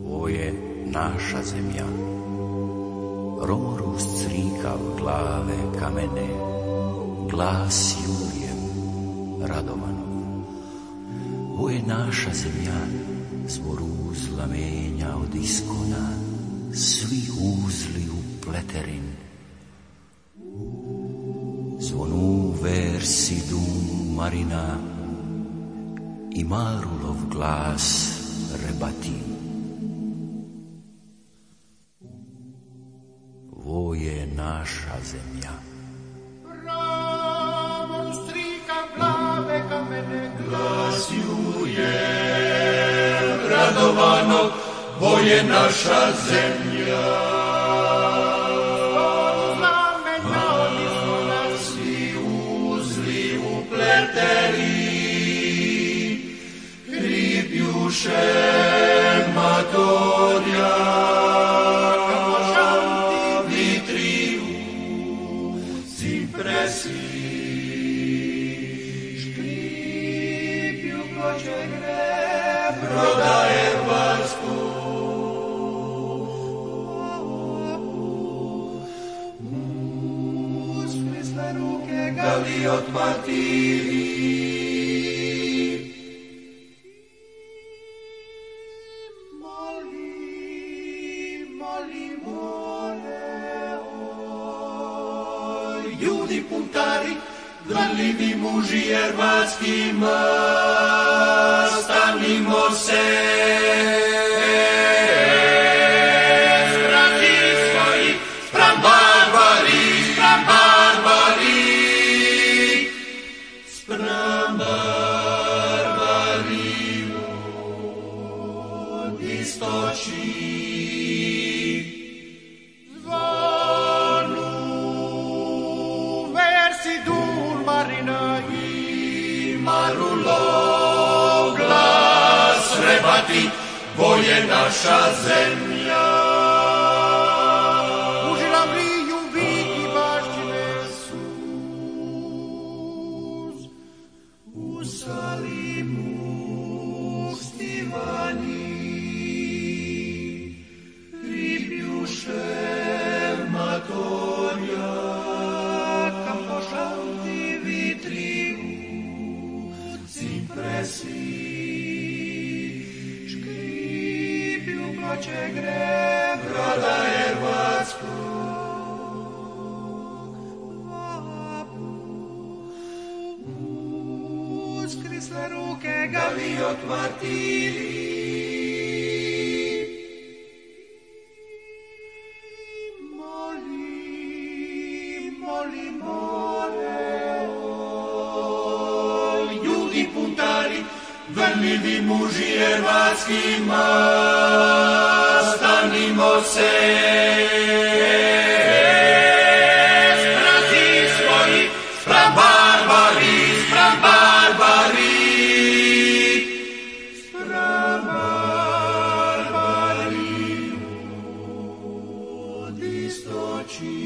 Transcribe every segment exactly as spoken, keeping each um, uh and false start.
Ovo je naša zemlja. Romorus crikav glave kamene, glas Julijem Radovanov. Ovo je naša zemlja, zboruz lamenja od iskona, svi uzli u pleterin. Zvonu versi dum marina i Marulov glas rebati. Ovo je naša zemlja. Ramon strika glave kamene, glas Juje Radovanog, ovo je naša zemlja. Svi uzli u pleteri, kripjuše matorja, prodaje varsku. Usmisle ruke Galiot martiri. Moli, moli, mole, oj, ljudi puntari, gledljivi muži hrvatskima, stanimo se, strati svoji, spram barbari, spram barbari, spram barbari od istoči. Zvonu versi dul marina i Marulov glas rebati, ovo je naša zemlja. U žilavliju viki baštine sus, u Salimu stivani, ribjuše matorja, kampošanti vitri u cipresi. Ploče gre, prodaje Hrvatsku. Uskrisle ruke Galiot martiri. Moli, moli, mole, oj, ljudi puntari, vrljivi muži hrvatskima, stanimo se, strati svoji, spram barbari, spram barbari, spram barbari od istoči.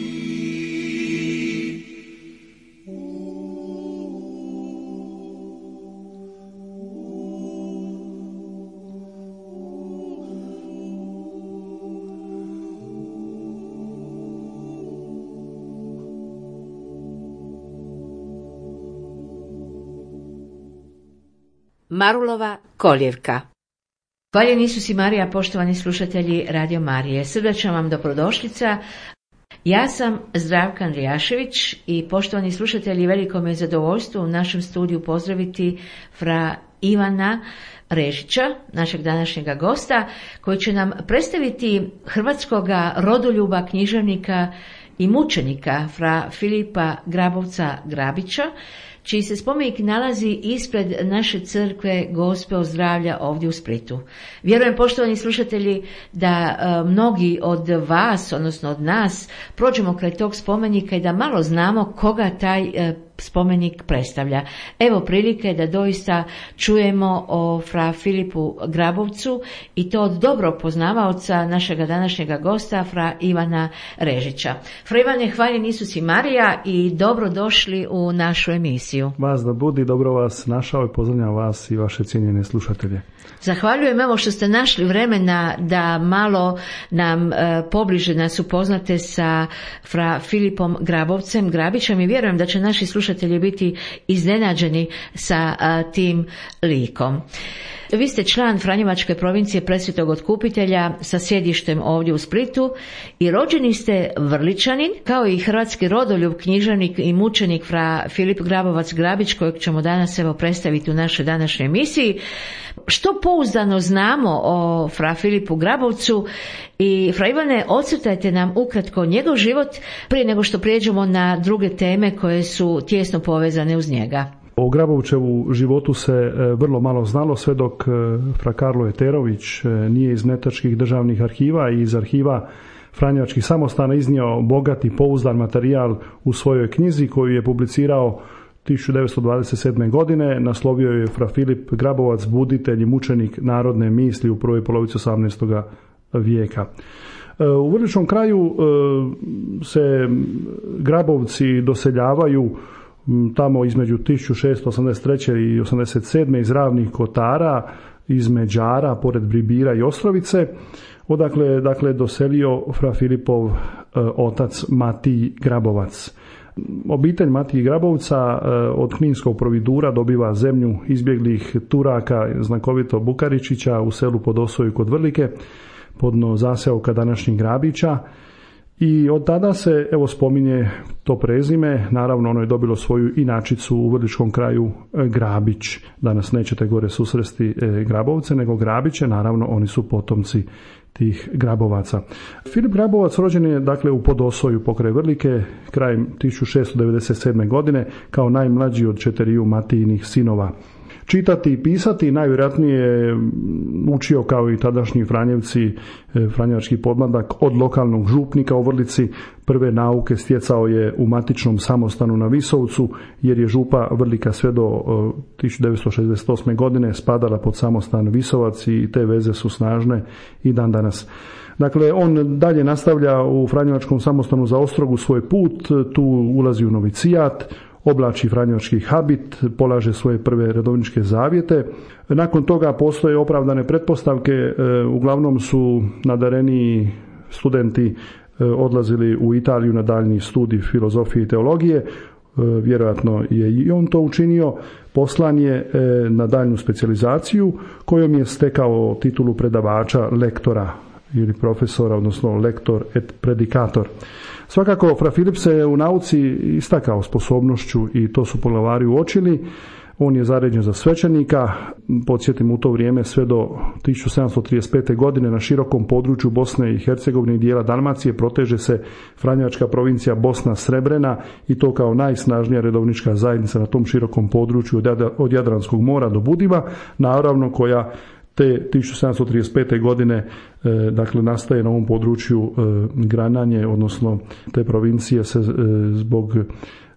Marulova koljevka. Hvaljeni Isus i Marija, poštovani slušatelji Radio Marije. Srdačna vam dobrodošlica. Ja sam Zdravka Andrijašević i poštovani slušatelji, veliko me je zadovoljstvo u našem studiju pozdraviti fra Ivana Režića, našeg današnjega gosta, koji će nam predstaviti hrvatskoga rodoljuba, književnika i mučenika fra Filipa Grabovca Grabića, čiji se spomenik nalazi ispred naše crkve Gospe Ozdravlja ovdje u Splitu. Vjerujem, poštovani slušatelji, da e, mnogi od vas, odnosno od nas, prođemo kraj tog spomenika i da malo znamo koga taj e, spomenik predstavlja. Evo prilike da doista čujemo o fra Filipu Grabovcu i to od dobro poznavaoca našega današnjega gosta, fra Ivana Režića. Fra Ivane, hvaljen Isus i Marija i dobro došli u našu emisiju. emisiju. Vas da budi, dobro vas našao i pozdravljam vas i vaše cijenjene slušatelje. Zahvaljujem evo što ste našli vremena da malo nam e, pobliže nas upoznate sa fra Filipom Grabovcem Grabićem i vjerujem da će naši slušatelji biti iznenađeni sa a, tim likom. Vi ste član Franjevačke provincije Presvetog Otkupitelja sa sjedištem ovdje u Splitu i rođeni ste Vrličanin, kao i hrvatski rodoljub, književnik i mučenik fra Filip Grabovac Grabić, kojeg ćemo danas evo predstaviti u našoj današnjoj emisiji. Što pouzdano znamo o fra Filipu Grabovcu i fra Ivane, ocrtajte nam ukratko njegov život prije nego što prijeđemo na druge teme koje su tijesno povezane uz njega. O Grabovčevu životu se vrlo malo znalo sve dok fra Karlo Eterović nije iz mletačkih državnih arhiva i iz arhiva Franjevačkih samostana iznio bogati pouzdan materijal u svojoj knjizi koju je publicirao tisuću devetsto dvadeset sedme. godine. Naslovio je fra Filip Grabovac, buditelj i mučenik narodne misli u prvoj polovici osamnaestog vijeka. U Vrličnom kraju se Grabovci doseljavaju tamo između tisuću šeststo osamdeset treće. i osamdeset sedme. iz Ravnih Kotara, iz Međara, pored Bribira i Ostrovice, odakle dakle doselio fra Filipov e, otac Matij Grabovac. Obitelj Matiji Grabovca e, od Kninskog providura dobiva zemlju izbjeglih Turaka, znakovito Bukaričića, u selu Podosoju kod Vrlike, podno zaseoka današnjih Grabića. I od tada se evo spominje to prezime, naravno ono je dobilo svoju inačicu u Vrličkom kraju Grabić. Danas nećete gore susresti Grabovce, nego Grabiće, naravno oni su potomci tih Grabovaca. Filip Grabovac rođen je dakle u Podosoju pokraj Vrlike krajem tisuću šeststo devedeset sedme. godine kao najmlađi od četiriju Matijinih sinova. Čitati i pisati najvjerojatnije je učio kao i tadašnji Franjevci, franjevački podmladak, od lokalnog župnika u Vrlici. Prve nauke stjecao je u matičnom samostanu na Visovcu, jer je župa Vrlika sve do tisuću devetsto šezdeset osme. godine spadala pod samostan Visovac i te veze su snažne i dan danas. Dakle, on dalje nastavlja u franjevačkom samostanu za Ostrogu svoj put, tu ulazi u novicijat, oblači franjevački habit, polaže svoje prve redovničke zavjete. Nakon toga postoje opravdane pretpostavke, uglavnom su nadareniji studenti odlazili u Italiju na daljnji studij filozofije i teologije, vjerojatno je i on to učinio. Poslan je na daljnju specijalizaciju kojom je stekao titulu predavača, lektora ili profesora, odnosno lektor et predikator. Svakako, fra Filip se u nauci istakao sposobnošću i to su poglavari uočili. On je zaređen za svećenika, podsjetim u to vrijeme sve do tisuću sedamsto trideset pete. godine na širokom području Bosne i Hercegovine i dijela Dalmacije proteže se Franjevačka provincija Bosna Srebrena i to kao najsnažnija redovnička zajednica na tom širokom području od Jadranskog mora do Budiva, naravno koja te tisuću sedamsto trideset pete. godine e, dakle nastaje na ovom području e, grananje, odnosno te provincije se e, zbog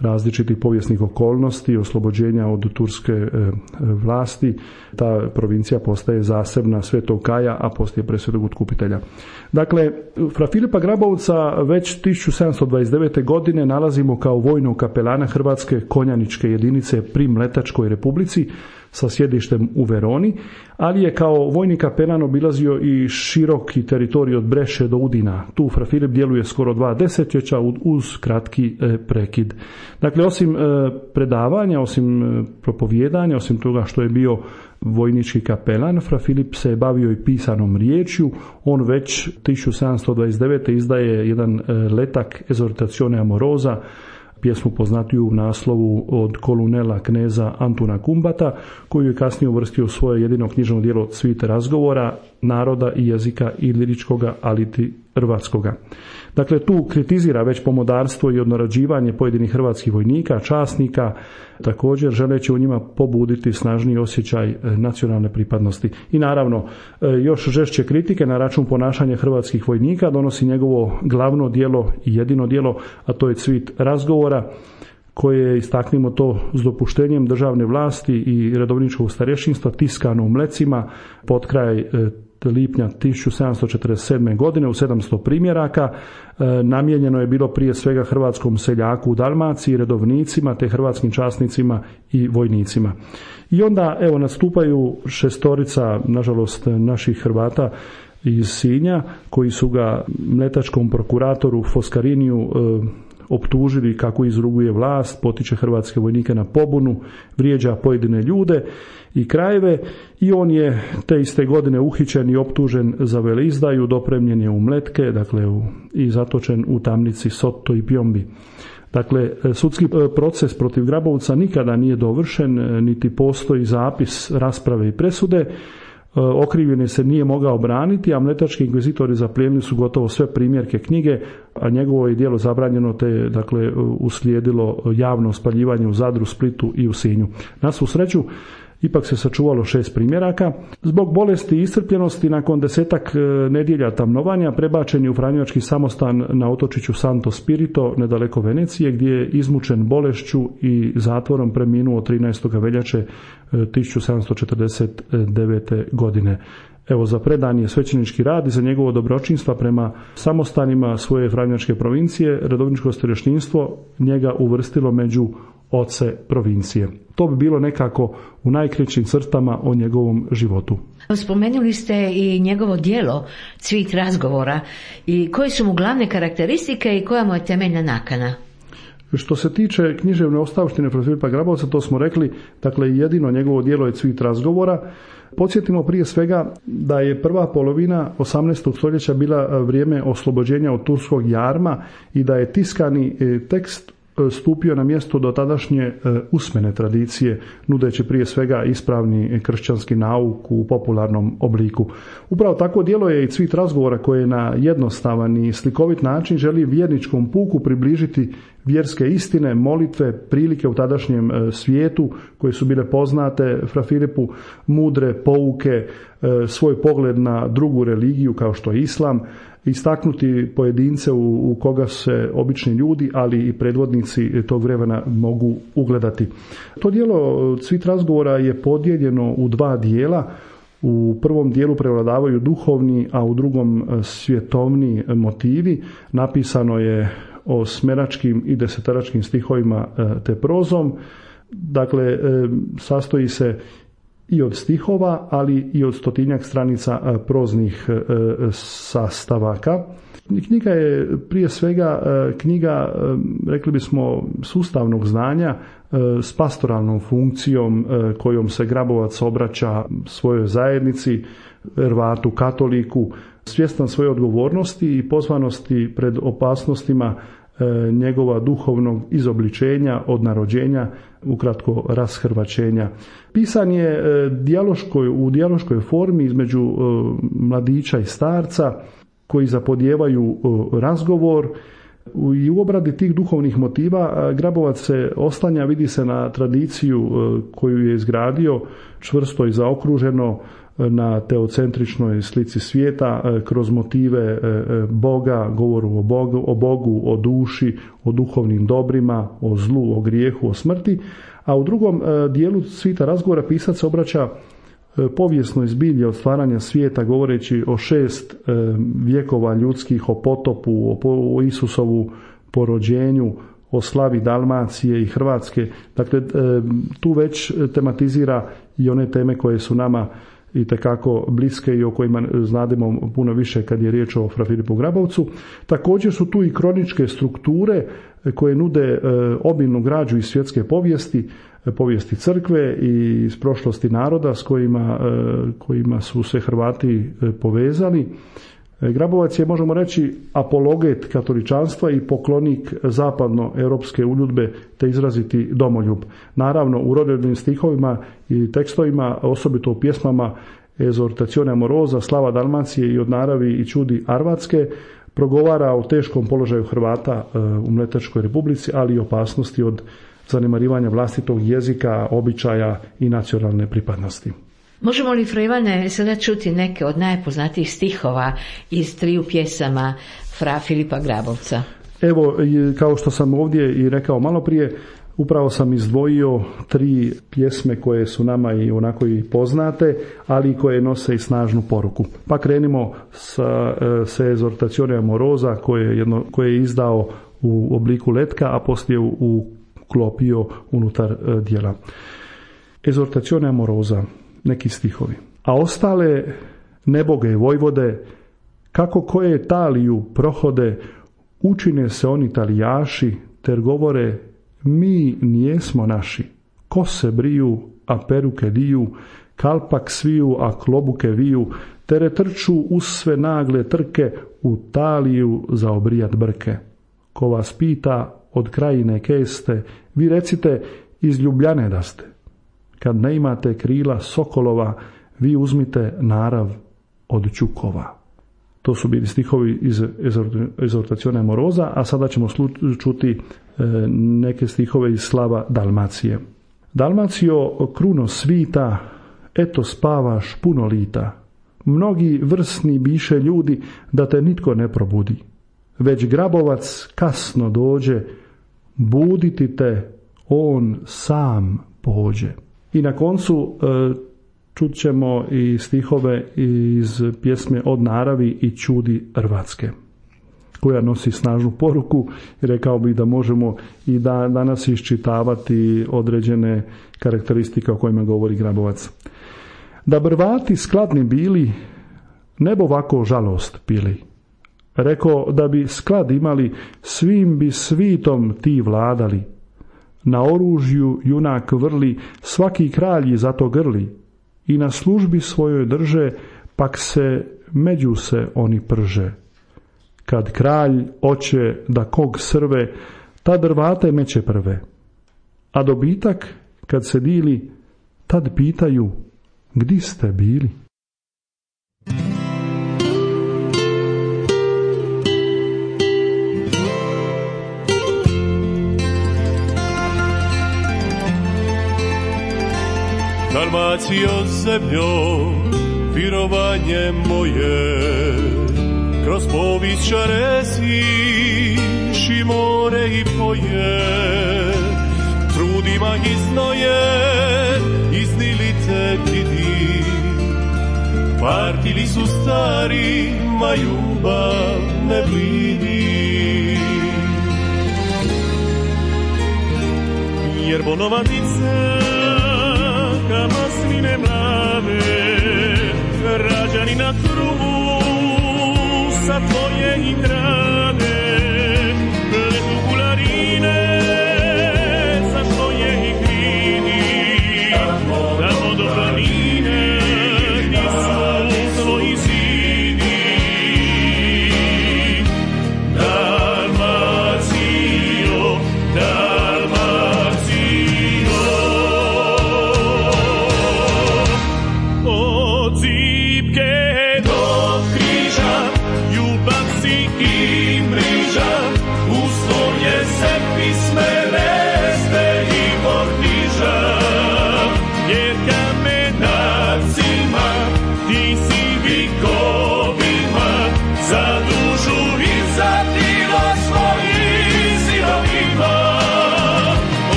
različitih povijesnih okolnosti, oslobođenja od turske e, vlasti, ta provincija postaje zasebna Svetog Kaja, a poslije Presvetog Otkupitelja. Dakle, fra Filipa Grabovca već tisuću sedamsto dvadeset devete. godine nalazimo kao vojnog kapelana Hrvatske konjaničke jedinice pri Mletačkoj Republici sa sjedištem u Veroni, ali je kao vojni kapelan obilazio i široki teritorij od Breše do Udina. Tu fra Filip djeluje skoro dva desetljeća uz kratki prekid. Dakle, osim predavanja, osim propovijedanja, osim toga što je bio vojnički kapelan, fra Filip se je bavio i pisanom riječju. On već tisuću sedamsto dvadeset devete. izdaje jedan letak Esortazione amorosa, pjesmu poznatiju u naslovu od kolunela kneza Antuna Kumbata, koju je kasnije uvrstio u svoje jedino knjižno djelo Cvit razgovora, naroda i jezika iliričkoga, aliti hrvatskoga. Dakle, tu kritizira već pomodarstvo i odnarođivanje pojedinih hrvatskih vojnika, časnika, također želeći u njima pobuditi snažniji osjećaj nacionalne pripadnosti. I naravno, još žešće kritike na račun ponašanja hrvatskih vojnika donosi njegovo glavno djelo i jedino djelo, a to je Cvit razgovora, koje je, istaknimo to, s dopuštenjem državne vlasti i redovničkog starješinstva tiskano u Mlecima pod kraj lipnja tisuću sedamsto četrdeset sedme. godine u sedamsto primjeraka. Namijenjeno je bilo prije svega hrvatskom seljaku u Dalmaciji, redovnicima te hrvatskim časnicima i vojnicima. I onda evo nastupaju šestorica, nažalost, naših Hrvata iz Sinja koji su ga mletačkom prokuratoru Foskariniju e, optužili kako izruguje vlast, potiče hrvatske vojnike na pobunu, vrijeđa pojedine ljude i krajeve, i on je te iste godine uhićen i optužen za veleizdaju, dopremljen je u Mletke, dakle u, i zatočen u tamnici Sotto i Pjombi. Dakle, sudski proces protiv Grabovca nikada nije dovršen, niti postoji zapis rasprave i presude. Okrivljeni se nije mogao braniti, a mletački inkvizitori zaplijenili su gotovo sve primjerke knjige, a njegovo je djelo zabranjeno, te dakle uslijedilo javno spaljivanje u Zadru, Splitu i u Sinju. Na svu sreću, ipak se sačuvalo šest primjeraka. Zbog bolesti i iscrpljenosti, nakon desetak nedjelja tamnovanja, prebačen je u franjevački samostan na otočiću Santo Spirito, nedaleko Venecije, gdje je izmučen bolešću i zatvorom preminuo trinaestog veljače tisuću sedamsto četrdeset devete. godine. Evo, za predan je svećenički rad i za njegovo dobročinstva prema samostanima svoje franjevačke provincije, redovničko starješinstvo njega uvrstilo među oce provincije. To bi bilo nekako u najkraćim crtama o njegovom životu. Spomenuli ste i njegovo djelo Cvit razgovora, i koje su mu glavne karakteristike i koja mu je temeljna nakana? Što se tiče književne ostavštine Fra Filipa Grabovca, to smo rekli, dakle jedino njegovo djelo je Cvit razgovora. Podsjetimo prije svega da je prva polovina osamnaestog stoljeća bila vrijeme oslobođenja od turskog jarma i da je tiskani tekst stupio na mjesto do tadašnje usmene tradicije, nudeći prije svega ispravni kršćanski nauk u popularnom obliku. Upravo tako djelo je i Cvit razgovora, koje na jednostavan i slikovit način želi vjerničkom puku približiti vjerske istine, molitve, prilike u tadašnjem svijetu koje su bile poznate Fra Filipu, mudre pouke, svoj pogled na drugu religiju kao što je islam, istaknuti pojedince u, u koga se obični ljudi, ali i predvodnici tog vremena mogu ugledati. To djelo Cvit razgovora je podijeljeno u dva dijela. U prvom dijelu prevladavaju duhovni, a u drugom svjetovni motivi. Napisano je o smeračkim i desetaračkim stihovima te prozom. Dakle, sastoji se i od stihova, ali i od stotinjak stranica proznih sastavaka. Knjiga je prije svega knjiga, rekli bismo, sustavnog znanja s pastoralnom funkcijom kojom se Grabovac obraća svojoj zajednici, Hrvatu katoliku, svjestan svoje odgovornosti i pozvanosti pred opasnostima njegova duhovnog izobličenja od narođenja, ukratko rashrvaćenja. Pisan je dijaloškoj, u dijaloškoj formi između mladića i starca koji zapodijevaju razgovor, i u obradi tih duhovnih motiva Grabovac se oslanja, vidi se, na tradiciju koju je izgradio, čvrsto i zaokruženo na teocentričnoj slici svijeta, kroz motive Boga, govoru o Bogu, o Bogu, o duši, o duhovnim dobrima, o zlu, o grijehu, o smrti. A u drugom dijelu Cvita razgovora pisac se obraća povijesnoj zbilji od stvaranja svijeta, govoreći o šest vjekova ljudskih, o potopu, o Isusovu porođenju, o slavi Dalmacije i Hrvatske. Dakle, tu već tematizira i one teme koje su nama itekako bliske i o kojima znademo puno više kad je riječ o Fra Filipu Grabovcu. Također su tu i kroničke strukture koje nude obilnu građu iz svjetske povijesti, povijesti crkve i iz prošlosti naroda s kojima, kojima su se Hrvati povezali. Grabovac je, možemo reći, apologet katoličanstva i poklonik zapadnoeuropske uljudbe te izraziti domoljub. Naravno, u rodovnim stihovima i tekstovima, osobito u pjesmama Esortazione amorosa, slava Dalmacije i od naravi i čudi Arvatske, progovara o teškom položaju Hrvata u Mletačkoj republici, ali i opasnosti od zanemarivanja vlastitog jezika, običaja i nacionalne pripadnosti. Možemo li, Fra Ivane, sada čuti neke od najpoznatijih stihova iz triju pjesama Fra Filipa Grabovca? Evo, kao što sam ovdje i rekao malo prije, Upravo sam izdvojio tri pjesme koje su nama i onako i poznate, ali koje nose i snažnu poruku. Pa krenimo sa, sa Esortazione Amorosa koje je, jedno, koje je izdao u obliku letka, a poslije uklopio unutar dijela. Esortazione Amorosa, neki stihovi. A ostale neboge vojvode, kako koje Italiju prohode, učine se oni Italijaši, ter govore, mi nijesmo naši. Kose briju, a peruke diju, kalpak sviju, a klobuke viju, tere trču uz sve nagle trke, u taliju za obrijat brke. Ko vas pita od krajine keste, vi recite iz Ljubljane da ste. Kad ne imate krila sokolova, vi uzmite narav od ćukova. To su bili stihovi iz Esortazione Amorosa, a sada ćemo čuti neke stihove iz slava Dalmacije. Dalmacio, kruno svita, eto spavaš puno lita. Mnogi vrsni biše ljudi, da te nitko ne probudi. Već grabovac kasno dođe, buditi te on sam pođe. I na koncu čut ćemo i stihove iz pjesme Od naravi i čudi Hrvatske, koja nosi snažnu poruku i rekao bih da možemo i da danas iščitavati određene karakteristike o kojima govori Grabovac. Da Hrvati skladni bili, ne bi ovako žalost pili. Rekao da bi sklad imali, svim bi svitom ti vladali. Na oružju junak vrli, svaki kralj zato grli. I na službi svojoj drže, pak se među se oni prže. Kad kralj oće da kog srve, tad Hrvate meće prve. A dobitak, kad se dili, tad pitaju, gdi ste bili? Dalmacijo zemljo, virovanje moje, kroz povijest resiš i more i poje, trudima iznoje, iznili te vidi, partili su stari, ma ljubav ne blidi. Jer bonovanice masline mlade, rađani na krugu sa tvoje i grade, pletu kularine sa tvoje i kridi, tamo do planine ti su tvoji zidi. Dalmacijo,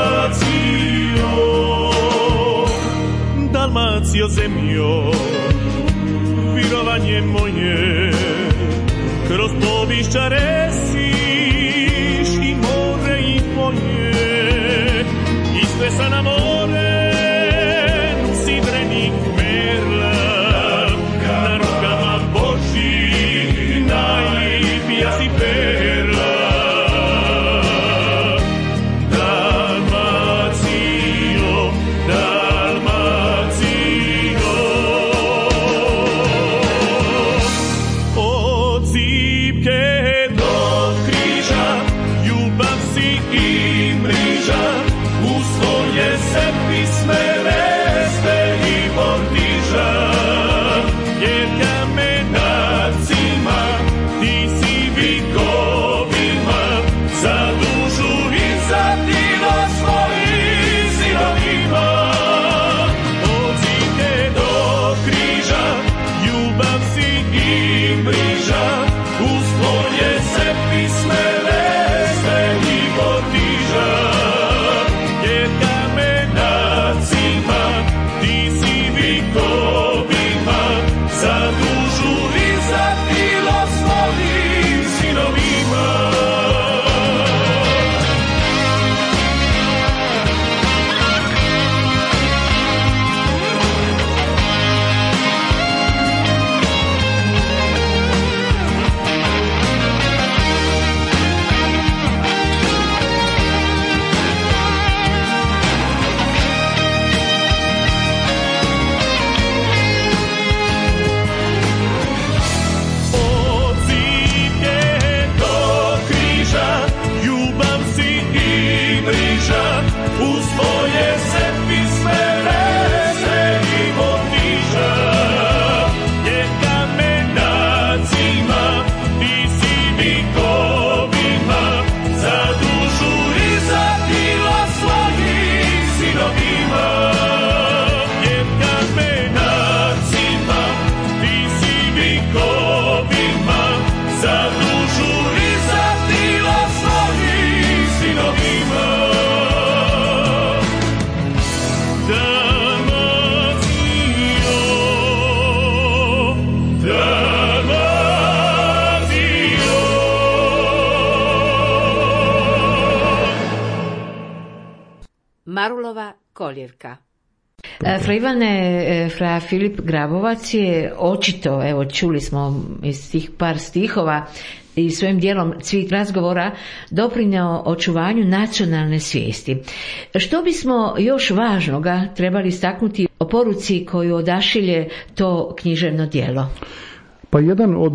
Dalmacijo, Dalmacijo zemljo, virovanje moje, kroz povišća resiš i more i polje, ispesa na more, sidrenih merla, na rukama Božih, najlipija si perla. Dalmacijo, Dalmacijo, od zipke do Marulova koljevka. Fra Ivane, fra Filip Grabovac je očito, evo čuli smo iz tih par stihova i svojim dijelom Cvit razgovora doprinjao očuvanju nacionalne svijesti. Što bismo još važnoga trebali istaknuti o poruci koju odašilje to književno djelo? Pa jedan od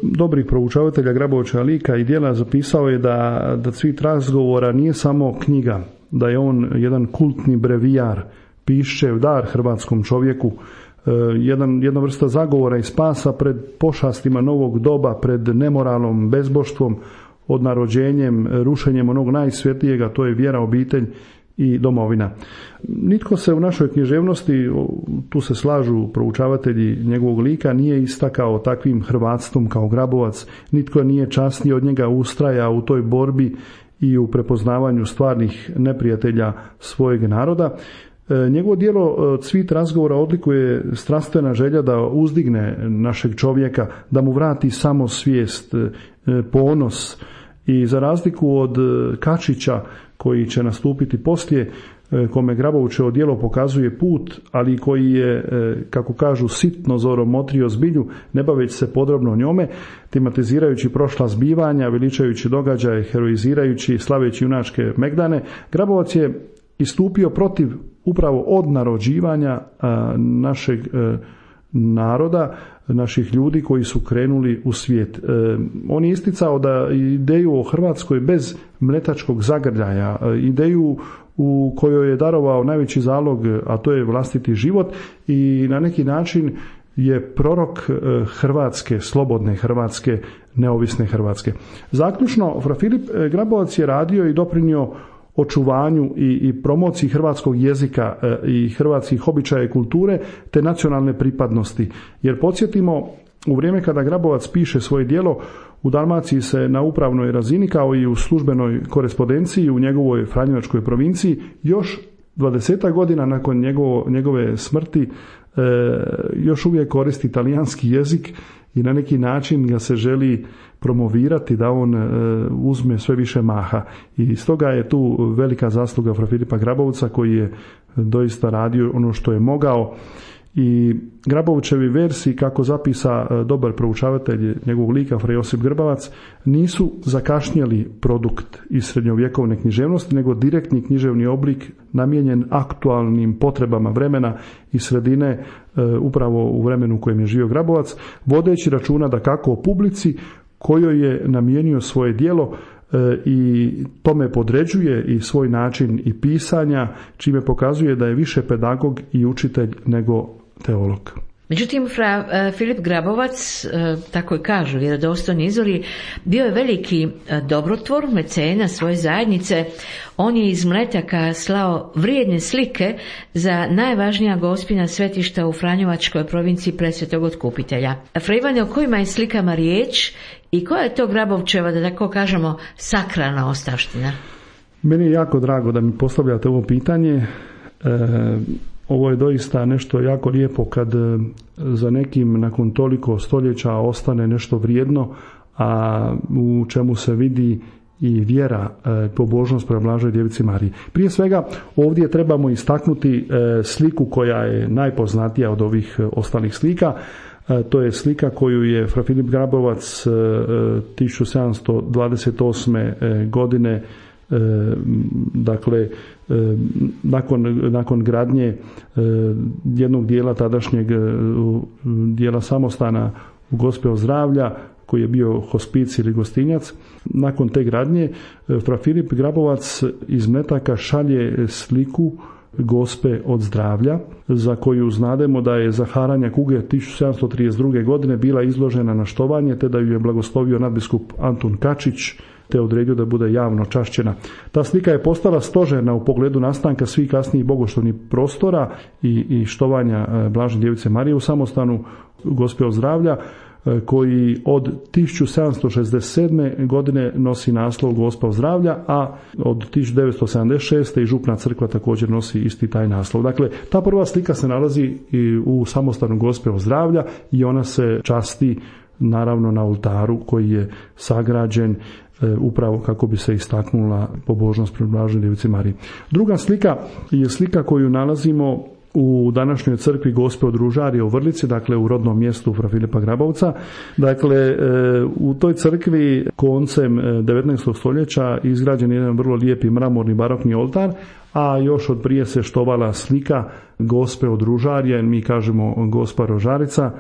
dobrih proučavatelja Grabovića lika i djela zapisao je da, da Cvit razgovora nije samo knjiga, da je on jedan kultni brevijar, pišćev dar hrvatskom čovjeku, jedan, jedna vrsta zagovora i spasa pred pošastima novog doba, pred nemoralom, bezboštvom, odnarođenjem, rušenjem onog najsvjetlijega, to je vjera, obitelj i domovina. Nitko se u našoj književnosti, tu se slažu proučavatelji njegovog lika, nije istakao takvim hrvatstvom kao Grabovac, nitko nije časniji od njega ustraja u toj borbi i u prepoznavanju stvarnih neprijatelja svojeg naroda. Njegovo djelo Cvit razgovora odlikuje strastvena želja da uzdigne našeg čovjeka, da mu vrati samosvijest, ponos i za razliku od Kačića koji će nastupiti poslije, kome Grabovićevo djelo pokazuje put, ali koji je, kako kažu, sitno zorom motrio zbilju, ne baveći se podrobno njome, tematizirajući prošla zbivanja, veličajući događaje, heroizirajući, slaveći junačke megdane. Grabovac je istupio protiv upravo odnarođivanja našeg naroda, naših ljudi koji su krenuli u svijet. On je isticao da ideju o Hrvatskoj bez mletačkog zagrljaja, ideju u kojoj je darovao najveći zalog, a to je vlastiti život, i na neki način je prorok Hrvatske, slobodne Hrvatske, neovisne Hrvatske. Zaključno, fra Filip Grabovac je radio i doprinio očuvanju i, i promociji hrvatskog jezika i hrvatskih običaja i kulture te nacionalne pripadnosti. Jer podsjetimo, u vrijeme kada Grabovac piše svoje djelo, u Dalmaciji se na upravnoj razini kao i u službenoj korespondenciji u njegovoj franjevačkoj provinciji još dvadesetak godina nakon njegovo, njegove smrti e, još uvijek koristi talijanski jezik i na neki način ga se želi promovirati da on e, uzme sve više maha. I stoga je tu velika zasluga fra Filipa Grabovca koji je doista radio ono što je mogao. I Grabovićevi versi, kako zapisa dobar proučavatelj njegovog lika fra Josip Grbavac, nisu zakašnjeli produkt iz srednjovjekovne književnosti, nego direktni književni oblik namijenjen aktualnim potrebama vremena i sredine, e, upravo u vremenu u kojem je živio Grabovac, vodeći računa da kako o publici kojoj je namijenio svoje djelo e, i tome podređuje i svoj način i pisanja, čime pokazuje da je više pedagog i učitelj nego teolog. Međutim, fra Filip Grabovac, tako i kažu vjerodostojni izvori, bio je veliki dobrotvor, mecena svoje zajednice. On je iz Mletaka slao vrijedne slike za najvažnija gospina svetišta u Franjevačkoj provinciji Presvetog Otkupitelja. Fra Ivane, o kojima je slikama riječ i koja je to Grabovčeva, da tako kažemo, sakralna ostavština? Meni je jako drago da mi postavljate ovo pitanje. E, Ovo je doista nešto jako lijepo kad za nekim nakon toliko stoljeća ostane nešto vrijedno, a u čemu se vidi i vjera, pobožnost prema Blažoj Djevici Mariji. Prije svega ovdje trebamo istaknuti sliku koja je najpoznatija od ovih ostalih slika. To je slika koju je fra Filip Grabovac tisuću sedamsto dvadeset osme godine, dakle nakon, nakon gradnje jednog dijela tadašnjeg dijela samostana u Gospeo zdravlja, koji je bio hospicij ili gostinjac, nakon te gradnje fra Filip Grabovac iz Mletaka šalje sliku Gospe od zdravlja, za koju znademo da je za haranja kuge tisuću sedamsto trideset druge godine bila izložena na štovanje, te da ju je blagoslovio nadbiskup Antun Kačić, te odredio da bude javno čašćena. Ta slika je postala stožerna u pogledu nastanka svih kasnijih bogoštovnih prostora i, i štovanja Blažene Djevice Marije u samostanu Gospe od zdravlja, koji od tisuću sedamsto šezdeset sedme godine nosi naslov Gospa zdravlja, a od tisuću devetsto sedamdeset šeste i župna crkva također nosi isti taj naslov. Dakle, ta prva slika se nalazi i u samostanu Gospe zdravlja i ona se časti naravno na oltaru koji je sagrađen upravo kako bi se istaknula pobožnost Preblaženoj Djevici Mariji. Druga slika je slika koju nalazimo u današnjoj crkvi Gospe od Ružarije u Vrlici, dakle u rodnom mjestu fra Filipa Grabovca. Dakle, u toj crkvi koncem devetnaestog stoljeća izgrađen je jedan vrlo lijepi mramorni barokni oltar, a još od prije se štovala slika Gospe od Ružarije, mi kažemo Gospa Rožarica,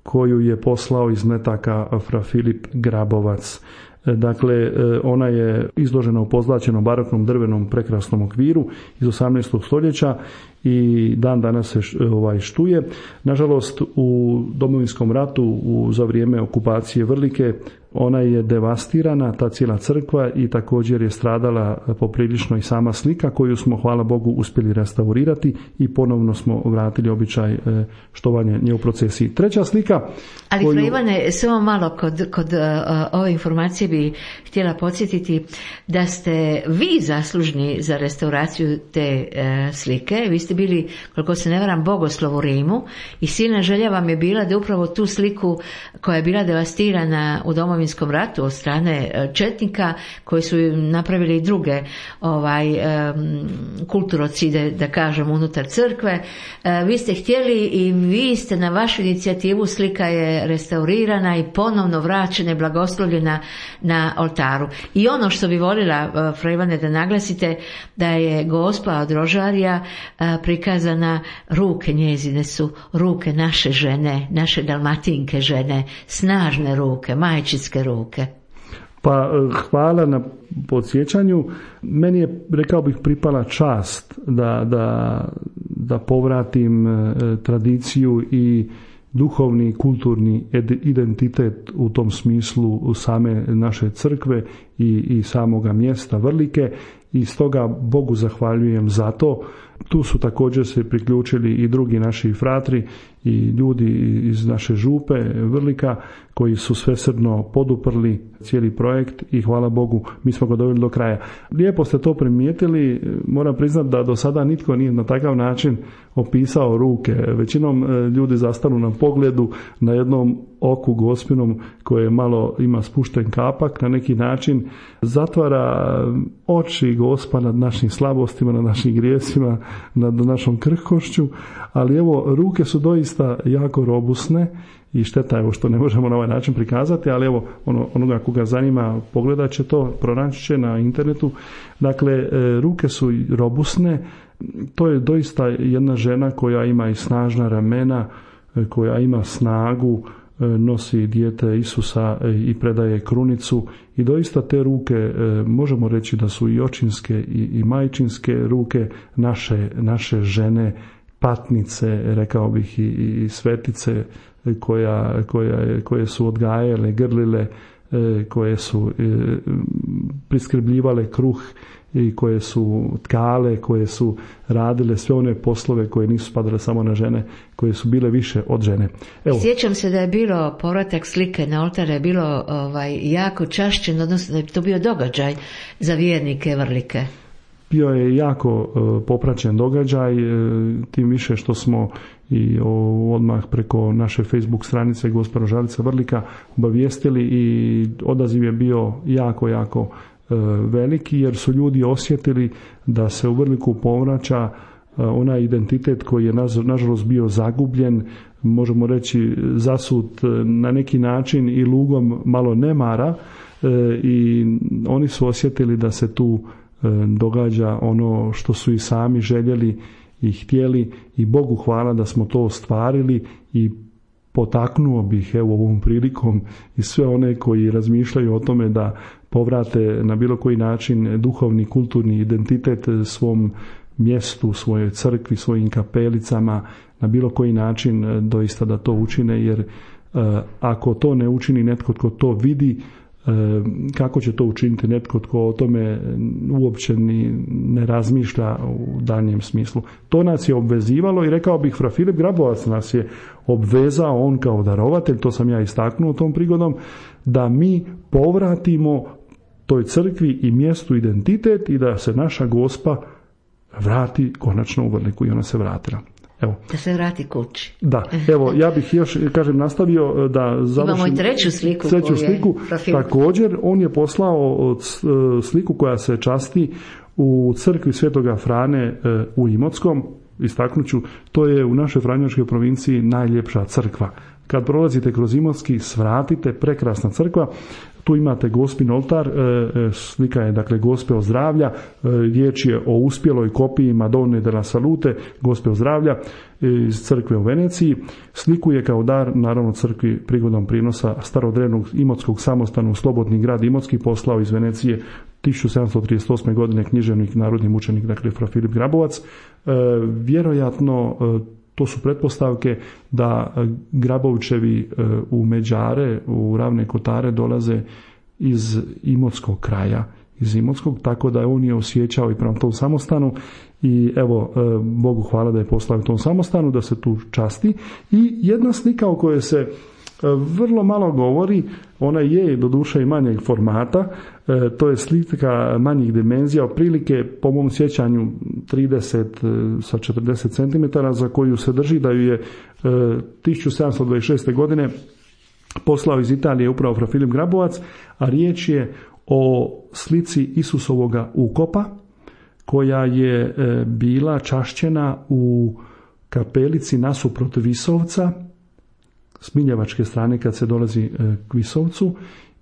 koju je poslao iz Metaka fra Filip Grabovac. Dakle, ona je izložena u pozlaćenom baroknom drvenom prekrasnom okviru iz osamnaestog stoljeća i dan danas se ovaj štuje. Nažalost, u Domovinskom ratu u, za vrijeme okupacije Vrlike ona je devastirana, ta cijela crkva, i također je stradala poprilično i sama slika koju smo, hvala Bogu, uspjeli restaurirati i ponovno smo vratili običaj štovanja nje u procesiji. Treća slika... Ali koju... Fra Ivane, samo malo kod, kod uh, ove informacije bi htjela podsjetiti da ste vi zaslužni za restauraciju te uh, slike. Vi ste bili, koliko se ne varam, bogoslov u Rimu i silna želja vam je bila da upravo tu sliku koja je bila devastirana u Domovinskom ratu od strane četnika koji su napravili i druge ovaj, um, kulturocide, da kažem, unutar crkve. Uh, vi ste htjeli i vi ste na vašu inicijativu, slika je restaurirana i ponovno vraćena i blagoslovljena na oltaru. I ono što bi voljela, Fra Ivane, da naglasite, da je Gospa od Rožarija prikazana, ruke njezine su ruke naše žene, naše dalmatinke žene, snažne ruke, majčinske ruke. Pa hvala na podsjećanju. Meni je, rekao bih, pripala čast da, da, da povratim tradiciju i duhovni, kulturni identitet u tom smislu same naše crkve i, i samoga mjesta Vrlike, i stoga Bogu zahvaljujem za to. Tu su također se priključili i drugi naši fratri i ljudi iz naše župe Vrlika koji su svesrdno poduprli cijeli projekt i hvala Bogu mi smo ga doveli do kraja. Lijepo ste to primijetili, moram priznati da do sada nitko nije na takav način opisao ruke. Većinom ljudi zastanu na pogledu, na jednom oku Gospinom koje malo ima spušten kapak, na neki način zatvara oči Gospa nad našim slabostima, nad našim grijesima, nad našom krhkošću, ali evo, ruke su doista jako robusne i šteta je što ne možemo na ovaj način prikazati, ali evo, ono, onoga koga zanima pogledat će to, pronaći će na internetu. Dakle, ruke su robusne, to je doista jedna žena koja ima i snažna ramena, koja ima snagu, nosi dijete Isusa i predaje krunicu, i doista te ruke možemo reći da su i očinske i, i majčinske ruke naše, naše žene, patnice, rekao bih, i, i svetice koja, koja, koje su odgajale, grlile, koje su priskrbljivale kruh i koje su tkale, koje su radile sve one poslove koje nisu spadale samo na žene, koje su bile više od žene. Evo. Sjećam se da je bilo povratak slike na oltar, je bilo ovaj, jako čašćen, odnosno da je to bio događaj za vjernike Vrlike. Bio je jako uh, popraćen događaj, uh, tim više što smo i o, odmah preko naše Facebook stranice Gospa Rožarica Vrlika obavijestili, i odaziv je bio jako, jako uh, veliki, jer su ljudi osjetili da se u Vrliku povraća uh, onaj identitet koji je nažalost bio zagubljen, možemo reći zasut uh, na neki način i lugom malo nemara, uh, i oni su osjetili da se tu događa ono što su i sami željeli i htjeli, i Bogu hvala da smo to ostvarili. I potaknuo bih evo ovom prilikom i sve one koji razmišljaju o tome da povrate na bilo koji način duhovni, kulturni identitet svom mjestu, svojoj crkvi, svojim kapelicama, na bilo koji način doista da to učine, jer ako to ne učini netko tko to vidi, kako će to učiniti netko tko o tome uopće ni ne razmišlja u danjem smislu. To nas je obvezivalo, i rekao bih, Fra Filip Grabovac nas je obvezao, on kao darovatelj, to sam ja istaknuo tom prigodom, da mi povratimo toj crkvi i mjestu identitet i da se naša Gospa vrati konačno u Vrliku, i ona se vratila. Evo. Da se vrati kući. Da, evo, ja bih još, kažem, nastavio da završim. Imamo i treću sliku. Treću sliku. Također, on je poslao sliku koja se časti u crkvi Svetoga Frane u Imotskom. Istaknuću, to je u našoj franjevačkoj provinciji najljepša crkva. Kad prolazite kroz Imotski, svratite, prekrasna crkva. Tu imate Gospin oltar, slika je dakle Gospe ozdravlja, riječ je o uspjeloj kopiji Madone della Salute, Gospe ozdravlja iz crkve u Veneciji. Sliku je kao dar, naravno, crkvi prigodom prinosa starodrevnog imotskog samostana u Slobodni grad Imotski poslao iz Venecije tisuću sedamsto trideset osme. godine književnik, narodni mučenik, dakle fra Filip Grabovac. E, vjerojatno e, to su pretpostavke da Grabovićevi u Međare, u Ravne Kotare dolaze iz Imotskog kraja, iz Imotskog, tako da on je osjećao i prema tom samostanu i evo, Bogu hvala da je poslao tom samostanu, da se tu časti. I jedna slika o kojoj se vrlo malo govori, ona je doduše i manjeg formata, to je slika manjih dimenzija, otprilike po mom sjećanju trideset sa četrdeset centimetara, za koju se drži da ju je tisuću sedamsto dvadeset šeste. godine poslao iz Italije upravo fra Filip Grabovac, a riječ je o slici Isusovoga ukopa, koja je bila čašćena u kapelici nasuprot Visovca, s Miljevačke strane kad se dolazi k Visovcu,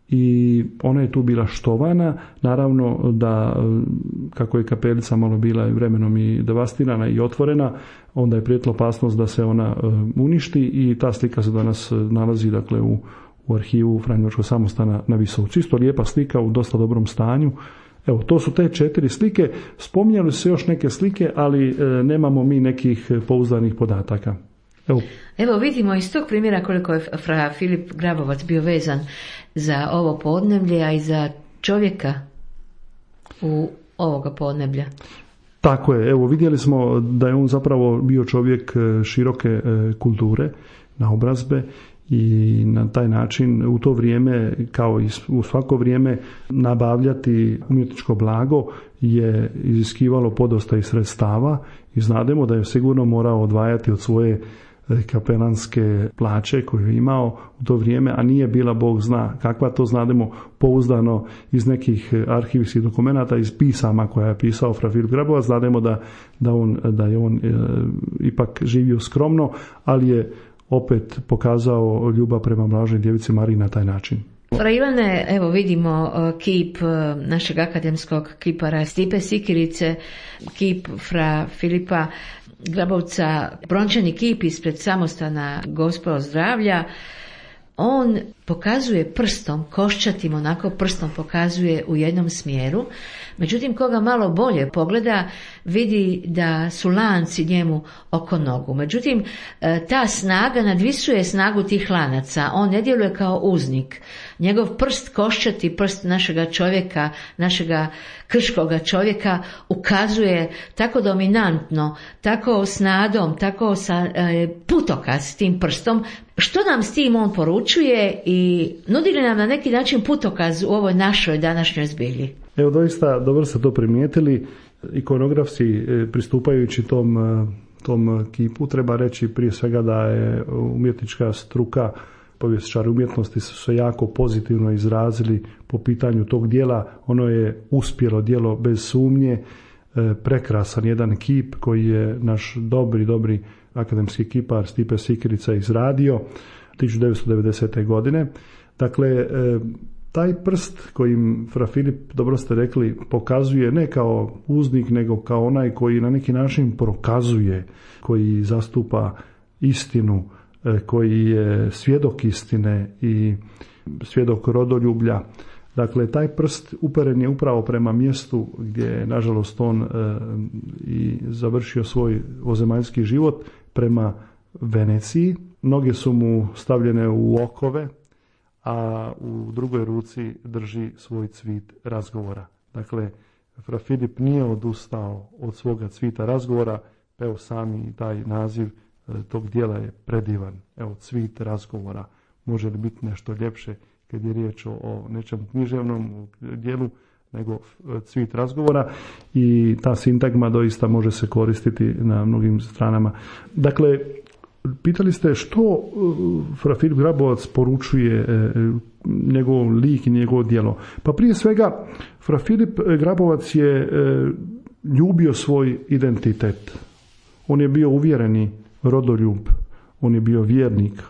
i ona je tu bila štovana. Naravno da, kako je kapelica malo bila vremenom i devastirana i otvorena, onda je prijetila opasnost da se ona uništi i ta slika se danas nalazi dakle u, u arhivu Franjevačkog samostana na Visovcu. Isto lijepa slika u dosta dobrom stanju. Evo, to su te četiri slike. Spominjali su se još neke slike, ali e, nemamo mi nekih pouzdanih podataka. Evo. Evo vidimo iz tog primjera koliko je fra Filip Grabovac bio vezan za ovo podneblje, a i za čovjeka u ovoga podneblja. Tako je, evo vidjeli smo da je on zapravo bio čovjek široke kulture, naobrazbe, i na taj način u to vrijeme, kao i u svako vrijeme, nabavljati umjetničko blago je iziskivalo podosta i sredstava i znademo da je sigurno morao odvajati od svoje kapelanske plaće koju je imao u to vrijeme, a nije bila Bog zna kakva, to znademo pouzdano iz nekih arhivskih dokumenata, iz pisama koja je pisao fra Filip Grabovac. Znademo da, da, on, da je on e, ipak živio skromno, ali je opet pokazao ljubav prema mlažnoj djevici Mariji na taj način. Fra Ivane, evo vidimo kip našeg akademskog kipara Stipe Sikirice, kip fra Filipa Grabovca, brončani kip ispred samostana Gospe ozdravlja. On pokazuje prstom, koščatim onako prstom pokazuje u jednom smjeru, međutim koga malo bolje pogleda vidi da su lanci njemu oko nogu. Međutim, ta snaga nadvisuje snagu tih lanaca, on ne djeluje kao uznik. Njegov prst, koščati prst našega čovjeka, našega krškoga čovjeka ukazuje tako dominantno, tako s nadom, tako sa e, putokaz tim prstom. Što nam s tim on poručuje i nudi li nam na neki način putokaz u ovoj našoj današnjoj zbilji? Evo, doista dobro ste to primijetili. Ikonografski pristupajući tom, tom kipu treba reći prije svega da je umjetnička struka, povjesničari umjetnosti su se jako pozitivno izrazili po pitanju tog dijela. Ono je uspjelo djelo bez sumnje, prekrasan jedan kip koji je naš dobri, dobri akademski kipar Stipe Sikirica izradio tisuću devetsto devedesete. godine. Dakle, taj prst kojim fra Filip, dobro ste rekli, pokazuje ne kao uznik, nego kao onaj koji na neki način prokazuje, koji zastupa istinu, koji je svjedok istine i svjedok rodoljublja. Dakle, taj prst uperen je upravo prema mjestu gdje je, nažalost, on e, i završio svoj ozemaljski život, prema Veneciji. Noge su mu stavljene u okove, a u drugoj ruci drži svoj cvit razgovora. Dakle, fra Filip nije odustao od svoga cvita razgovora, evo sami taj naziv tog dijela je predivan. Evo, cvit razgovora. Može li biti nešto ljepše kad je riječ o, o nečem književnom dijelu nego cvit razgovora i ta sintagma doista može se koristiti na mnogim stranama. Dakle, pitali ste što fra Filip Grabovac poručuje njegov lik i njegovo djelo. Pa prije svega, fra Filip Grabovac je ljubio svoj identitet. On je bio uvjereni rodoljub, on je bio vjernik,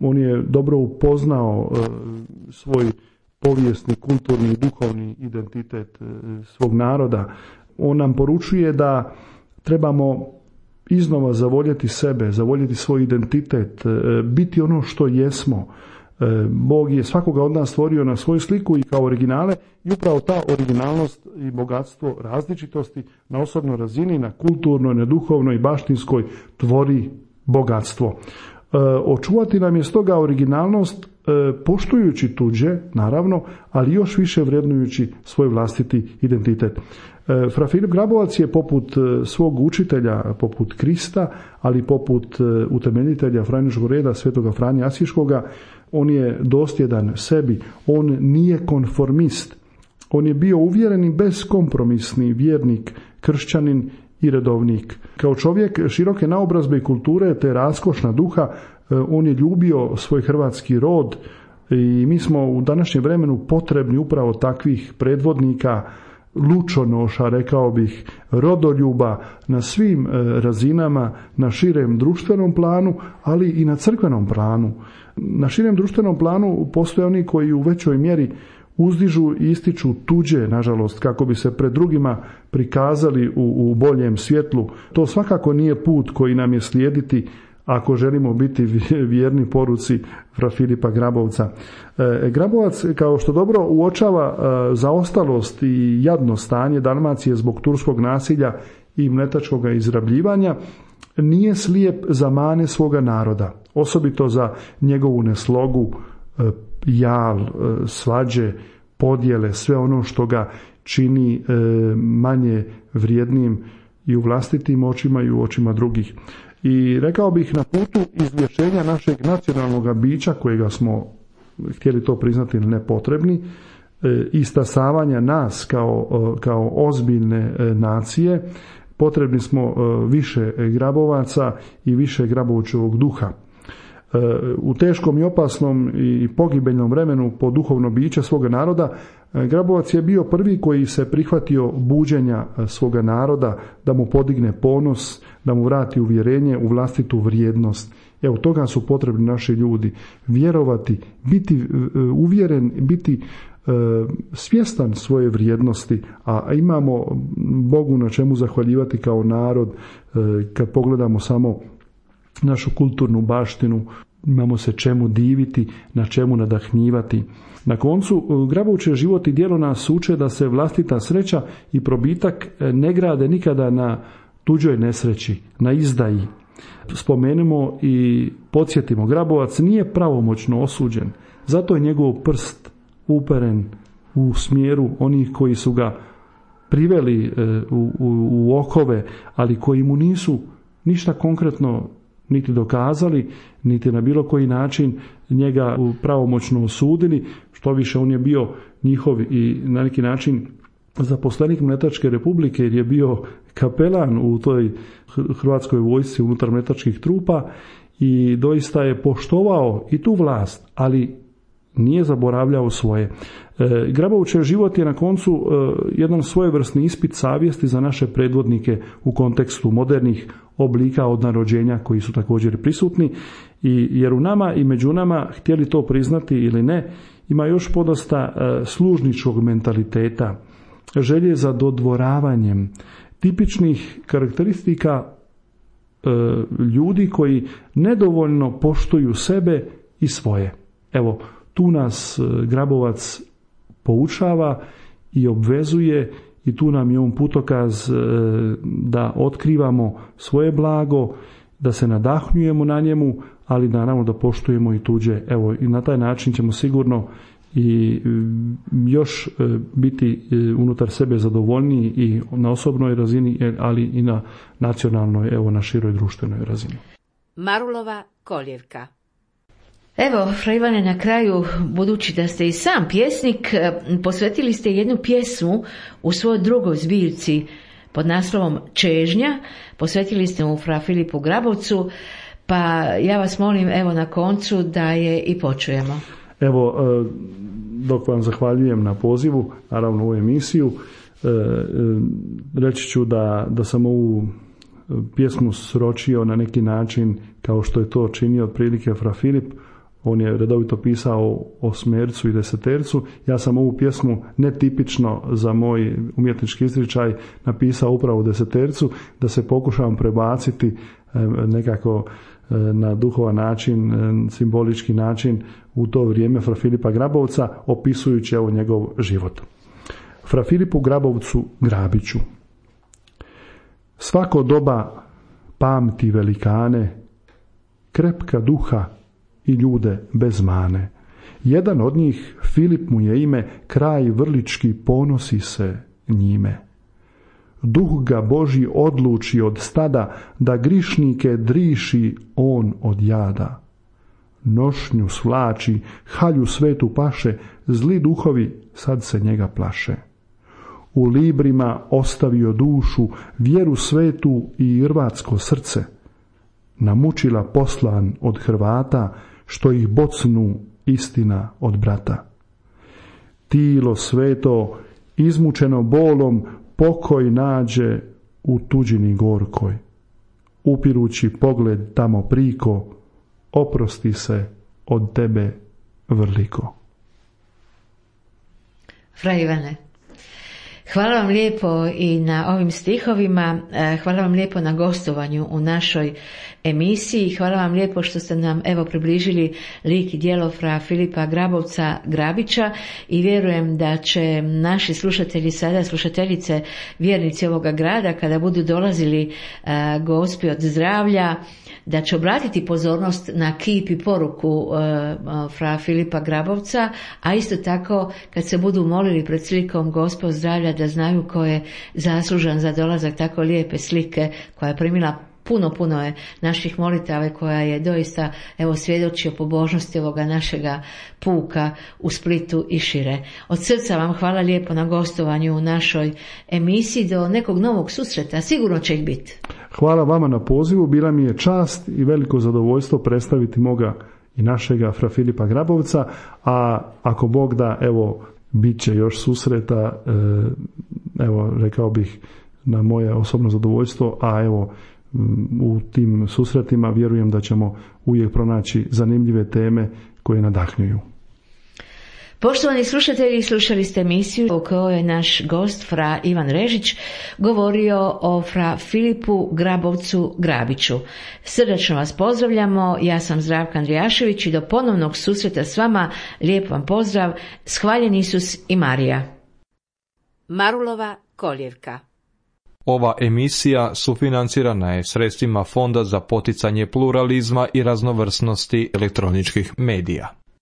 on je dobro upoznao svoj povijesni, kulturni i duhovni identitet svog naroda. On nam poručuje da trebamo iznova zavoljeti sebe, zavoljeti svoj identitet, biti ono što jesmo. Bog je svakoga od nas stvorio na svoju sliku i kao originale i upravo ta originalnost i bogatstvo različitosti na osobnoj razini, na kulturnoj, na duhovnoj i baštinskoj tvori bogatstvo. Očuvati nam je stoga originalnost poštujući tuđe, naravno, ali još više vrednujući svoj vlastiti identitet. Fra Filip Grabovac je poput svog učitelja, poput Krista, ali poput utemeljitelja Franjiškog reda, svetoga Franje Asiškoga, on je dosljedan sebi, on nije konformist, on je bio uvjereni beskompromisni vjernik, kršćanin i redovnik. Kao čovjek široke naobrazbe i kulture te raskošna duha, on je ljubio svoj hrvatski rod i mi smo u današnjem vremenu potrebni upravo takvih predvodnika, lučonoša, rekao bih, rodoljuba na svim razinama, na širem društvenom planu, ali i na crkvenom planu. Na širem društvenom planu postoje oni koji u većoj mjeri uzdižu i ističu tuđe, nažalost, kako bi se pred drugima prikazali u, u boljem svjetlu. To svakako nije put koji nam je slijediti ako želimo biti vjerni poruci fra Filipa Grabovca. E, Grabovac, kao što dobro uočava e, zaostalost i jadno stanje Dalmacije zbog turskog nasilja i mletačkog izrabljivanja, nije slijep za mane svoga naroda, osobito za njegovu neslogu, e, jal, e, svađe, podjele, sve ono što ga čini e, manje vrijednim i u vlastitim očima i u očima drugih. I rekao bih, na putu izlječenja našeg nacionalnog bića, kojega smo htjeli to priznati ili nepotrebni, i stasavanja nas kao, kao ozbiljne nacije, potrebni smo više Grabovaca i više Grabovčevog duha. U teškom i opasnom i pogibeljnom vremenu po duhovno biće svoga naroda, Grabovac je bio prvi koji se prihvatio buđenja svoga naroda, da mu podigne ponos, da mu vrati uvjerenje u vlastitu vrijednost. Evo, toga su potrebni naši ljudi. Vjerovati, biti uvjeren, biti svjestan svoje vrijednosti, a imamo Bogu na čemu zahvaljivati kao narod. Kad pogledamo samo našu kulturnu baštinu, imamo se čemu diviti, na čemu nadahnjivati. Na koncu, Grabovčev život i djelo nas uče da se vlastita sreća i probitak ne grade nikada na tuđoj nesreći, na izdaji. Spomenimo i podsjetimo, Grabovac nije pravomoćno osuđen, zato je njegov prst uperen u smjeru onih koji su ga priveli u, u, u okove, ali koji mu nisu ništa konkretno niti dokazali, niti na bilo koji način njega pravomoćno osudili. Što više, on je bio njihov i na neki način zaposlenik Mletačke republike, jer je bio kapelan u toj hrvatskoj vojsci unutar mletačkih trupa i doista je poštovao i tu vlast, ali nije zaboravljao svoje. E, Grabovčev život je na koncu e, jedan svojevrsni ispit savjesti za naše predvodnike u kontekstu modernih oblika odnarođenja koji su također prisutni, i jer u nama i među nama, htjeli to priznati ili ne, ima još podosta e, služničkog mentaliteta, želje za dodvoravanjem, tipičnih karakteristika e, ljudi koji nedovoljno poštuju sebe i svoje. Evo, tu nas Grabovac poučava i obvezuje, i tu nam je on putokaz da otkrivamo svoje blago, da se nadahnjujemo na njemu, ali naravno da poštujemo i tuđe. Evo, i na taj način ćemo sigurno i još biti unutar sebe zadovoljniji i na osobnoj razini, ali i na nacionalnoj, evo, na široj društvenoj razini. Marulova koljevka. Evo, Fra Ivane, na kraju, budući da ste i sam pjesnik, posvetili ste jednu pjesmu u svojoj drugoj zbirci pod naslovom Čežnja, posvetili ste mu Fra Filipu Grabovcu, pa ja vas molim evo na koncu da je i počujemo. Evo, dok vam zahvaljujem na pozivu, naravno u emisiju, reći ću da, da sam ovu pjesmu sročio na neki način kao što je to činio otprilike Fra Filip. On je redovito pisao osmercu i desetercu. Ja sam ovu pjesmu netipično za moj umjetnički izričaj napisao upravo u desetercu, da se pokušavam prebaciti nekako na duhovan način, simbolički način u to vrijeme Fra Filipa Grabovca, opisujući evo njegov život. Fra Filipu Grabovcu Grabiću. Svako doba pamti velikane, krepka duha i ljude bez mane. Jedan od njih, Filip mu je ime, kraj vrlički ponosi se njime. Duh ga Božji odluči od stada, da grišnike driši on od jada. Nošnju svlači, halju svetu paše, zli duhovi sad se njega plaše. U librima ostavio dušu, vjeru svetu i hrvatsko srce. Namučila poslan od Hrvata, što ih bocnu istina od brata. Tilo sveto, izmučeno bolom, pokoj nađe u tuđini gorkoj. Upirući pogled tamo priko, oprosti se od tebe vrliko. Fra Ivane, hvala vam lijepo i na ovim stihovima, hvala vam lijepo na gostovanju u našoj emisiji, hvala vam lijepo što ste nam evo približili lik i djelo Fra Filipa Grabovca Grabića i vjerujem da će naši slušatelji sada, slušateljice, vjernici ovoga grada, kada budu dolazili uh, gospi od zdravlja, da će obratiti pozornost na kip i poruku uh, Fra Filipa Grabovca, a isto tako kad se budu molili pred slikom Gospe od zdravlja, da znaju ko je zaslužan za dolazak tako lijepe slike koja je primila puno, puno je naših molitava koja je doista evo svjedočio pobožnosti ovoga našega puka u Splitu i šire. Od srca vam hvala lijepo na gostovanju u našoj emisiji, do nekog novog susreta, sigurno će ih biti. Hvala vama na pozivu, bila mi je čast i veliko zadovoljstvo predstaviti moga i našega Fra Filipa Grabovca, a ako Bog da, evo, bit će još susreta, evo, rekao bih, na moje osobno zadovoljstvo, a evo, u tim susretima vjerujem da ćemo uvijek pronaći zanimljive teme koje nadahnjuju. Poštovani slušatelji, slušali ste emisiju u kojoj je naš gost Fra Ivan Režić govorio o Fra Filipu Grabovcu Grabiću. Srdačno vas pozdravljamo, ja sam Zdravka Andrijašević i do ponovnog susreta s vama lijep vam pozdrav, shvaljen Isus i Marija. Marulova koljevka. Ova emisija sufinancirana je sredstvima Fonda za poticanje pluralizma i raznovrsnosti elektroničkih medija.